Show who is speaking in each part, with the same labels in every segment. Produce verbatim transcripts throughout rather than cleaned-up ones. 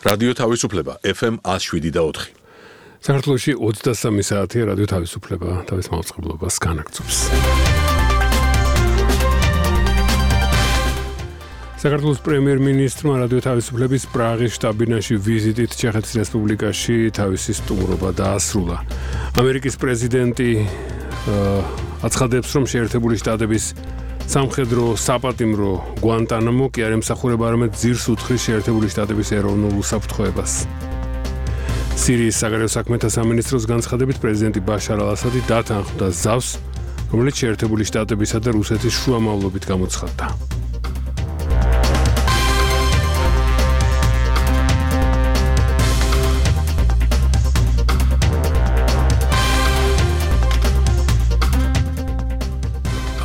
Speaker 1: რადიო თავისუფლება ეფ ემ one oh seven და four.
Speaker 2: საქართველოში ოცდასამი საათია რადიო თავისუფლება თავის მაუწყებლობას განაგრძობს. საქართველოს პრემიერ-მინისტრმა რადიო თავისუფლების პრაღის შტაბ-ბინაში ვიზიტით ჩეხეთის რესპუბლიკაში თავისი სტუმრობა დაასრულა. ამერიკის პრეზიდენტი აცხადებს, რომ შეერთებული შტატების სამხედრო საპატიმრო გვანტანამო კი არ ემსახურება არამედ ძირს უთხრის შეერთებული შტატების ეროვნულ უსაფრთხოებას. სირიის საგარეო საქმეთა სამინისტროს განცხადებით პრეზიდენტი ბაშარ ალ-ასადი დათანხმდა ზავს, რომელიც შეერთებული შტატებისა და რუსეთის შუამავლობით გამოცხადდა.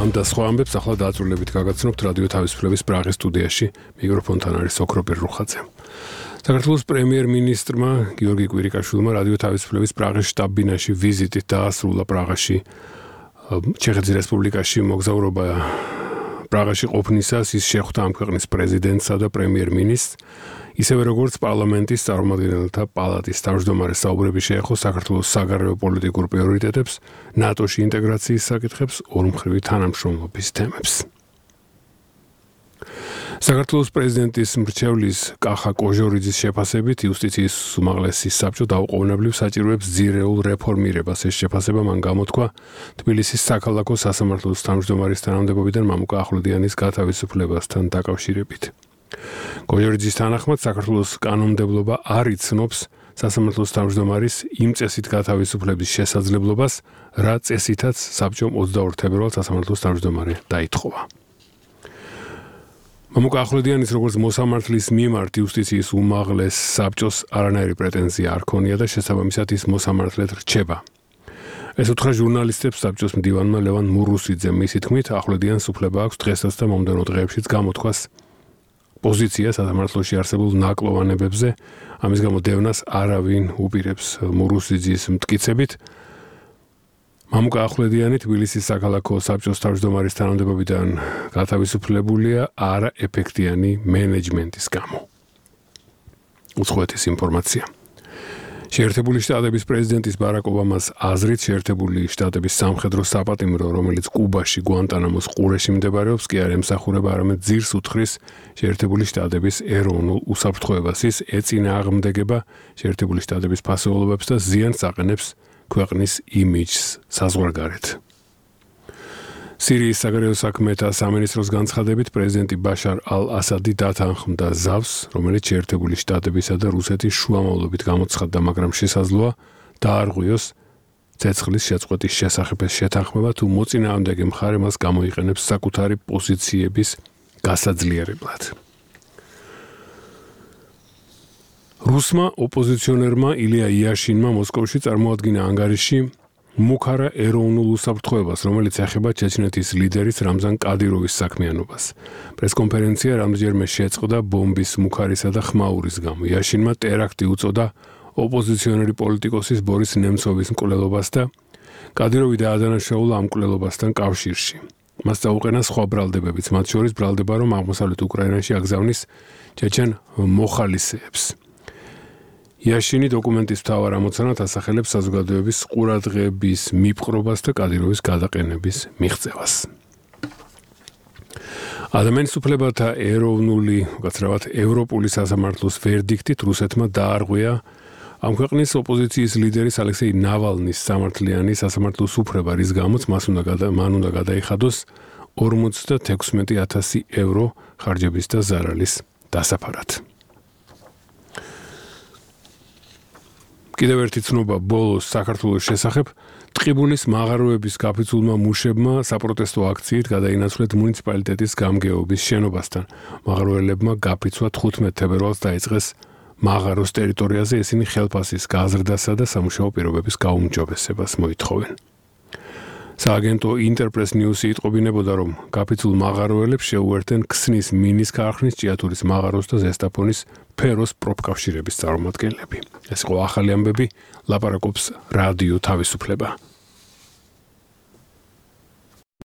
Speaker 2: ამ და სხვა ამბებს ახლა დააწრულებით გაგაცნობთ რადიო თავისუფლების პრაღის სტუდიაში. მიკროფონთან არის ოქროპირ რუხაძე. საქართველოს პრემიერ-მინისტრმა გიორგი კვირიკაშვილმა რადიო თავისუფლების პრაღის შტაბ-ბინაში ვიზიტით დაასრულა პრაღაში. ჩეხეთის რესპუბლიკაში მოგზაურობა პრაღაში ყოფნისას ის შეხვდა ამ ქვეყნის პრეზიდენტსა და პრემიერ-მინისტრს, ისევე როგორც პარლამენტის წარმომადგენელთა პალატის თავმჯდომარეს საუბრები შეეხო საქართველოს საგარეო პოლიტიკურ პრიორიტეტებს, ნატოში ინტეგრაციის საკითხებს, ორმხრივი თანამშრომლობის თემებს. საქართველოს პრეზიდენტის მრჩევლის კახა კოჟორიძის შეფასებით იუსტიციის უმაღლესი საბჭო დაუყოვნებლივ საჭიროებს ძირეულ რეფორმირებას. ეს შეფასება მან გამოთქვა თბილისის საქალაქო სასამართლოს თავმჯდომარის თანამდებობიდან მამუკა ახვლედიანის გათავისუფლებასთან დაკავშირებით. კოჟორიძის თანახმად საქართველოს კანონმდებლობა არ იცნობს სასამართლოს თავმჯდომარის იმ წესით გათავისუფლების შესაძლებლობას, რა წესითაც საბჭომ ოცდაორ თებერვალს სასამართლოს თავმჯდომარე დაითხოვა. მამუკა ახვლედიანის როგორც მოსამართლის მიმართ იუსტიციის უმაღლეს საბჭოს არანაირი პრეტენზია არ ქონია და შესაბამისად ის მოსამართლედ რჩება. ეს უთხრა ჟურნალისტებს საბჭოს მდივანმა ლევან მურუსიძემ. მისი თქმით, ახვლედიანს უფლება აქვს დღესაც და მომდევნო დღეებშიც გამოთქვას პოზიცია სასამართლოში არსებულ ნაკლოვანებებზე, ამის გამო დევნას არავინ უპირებს. მურუსიძის მტკიცებით, მამუკა ახვლედიანი თბილისის საქალაქო საბჭოს თავმჯდომარის თანამდებობიდან გათავისუფლებულია არაეფექტიანი მენეჯმენტის გამო. უცხოეთის ინფორმაცია. შეერთებული შტატების პრეზიდენტის ბარაკ ობამას აზრით შეერთებული შტატების სამხედრო საპატიმრო, რომელიც კუბაში გვანტანამოს ყურეში მდებარეობს, კი არ ემსახურება არამედ ძირს უთხრის შეერთებული შტატების ეროვნულ უსაფრთხოებას. ის ეწინააღმდეგება შეერთებული შტატების ფასეულობებს და ზიანს აყენებს ქვეყნის იმიჯს საზღვარგარეთ. სირიის საგარეო საქმეთა სამინისტროს განცხადებით პრეზიდენტი ბაშარ ალ-ასადი დათანხმდა ზავს, რომელიც შეერთებული შტატებისა და რუსეთის შუამავლობით გამოცხადდა, მაგრამ შესაძლოა დაარღვიოს ცეცხლის შეწყვეტის შესახებ შეთანხმება, თუ მოწინააღმდეგე მხარე მას გამოიყენებს საკუთარი პოზიციების გასაძლიერებლად. რუსმა ოპოზიციონერმა ილია იაშინმა მოსკოვში წარმოადგინა ანგარიში მუქარა ეროვნულ უსაფრთხოებას, რომელიც ეხება ჩეჩნეთის ლიდერის რამზან კადიროვის საქმიანობას. პრესკონფერენცია რამდენჯერმე შეწყდა ბომბის მუქარისა და ხმაურის გამო. იაშინმა ტერაქტი უწოდა ოპოზიციონერი პოლიტიკოსის ბორის ნემცოვის მკვლელობას და კადიროვი დაადანაშაულა ამ მკვლელობასთან კავშირში. მას დაუყენა სხვა ბრალდებებიც, მათ შორის ბრალდება, რომ აღმოსავლეთ უკრაინაში აგზავნის ჩეჩენ მოხალისეებს. იაშინი დოკუმენტის მთავარ ამოცანად ასახელებს საზოგადოების ყურადღების მიპყრობას და კადიროვის გადაყენების მიღწევას. ადამიანის უფლებათა ეროვნული, უკაცრავად ევროპული სასამართლოს ვერდიქტით რუსეთმა დაარღვია ამ ქვეყნის ოპოზიციის ლიდერის ალექსეი ნავალნის სამართლიანი სასამართლოს უფლება, რის გამოც მას უნდა მან უნდა გადაიხადოს ორმოცდათექვსმეტი ათასი ევრო ხარჯების და ზარალის დასაფარად. კიდევ ერთი ცნობა ბოლოს საქართველოს შესახებ. ტყიბულის მაღაროების გაფიცულმა მუშებმა საპროტესტო აქციით გადაინაცვლეთ მუნიციპალიტეტის გამგეობის შენობასთან. მაღაროელებმა გაფიცვა თხუთმეტ თებერვალს დაიწყეს მაღაროს ტერიტორიაზე, ისინი ხელფასის გაზრდასა და სამუშაო პირობების გაუმჯობესებას მოითხოვენ. სააგენტო ინტერპრეს ნიუსი იტყობინებოდა, რომ გაფიცულ მაღაროელებს შეუერთენ ქსნის მინის ქარხნის, ჭიათურის მაღაროს და ზესტაფონის ფეროს პროფკავშირების წარმომადგენლები. ეს იყო ახალი ამბები, ლაპარაკობს რადიო თავისუფლება.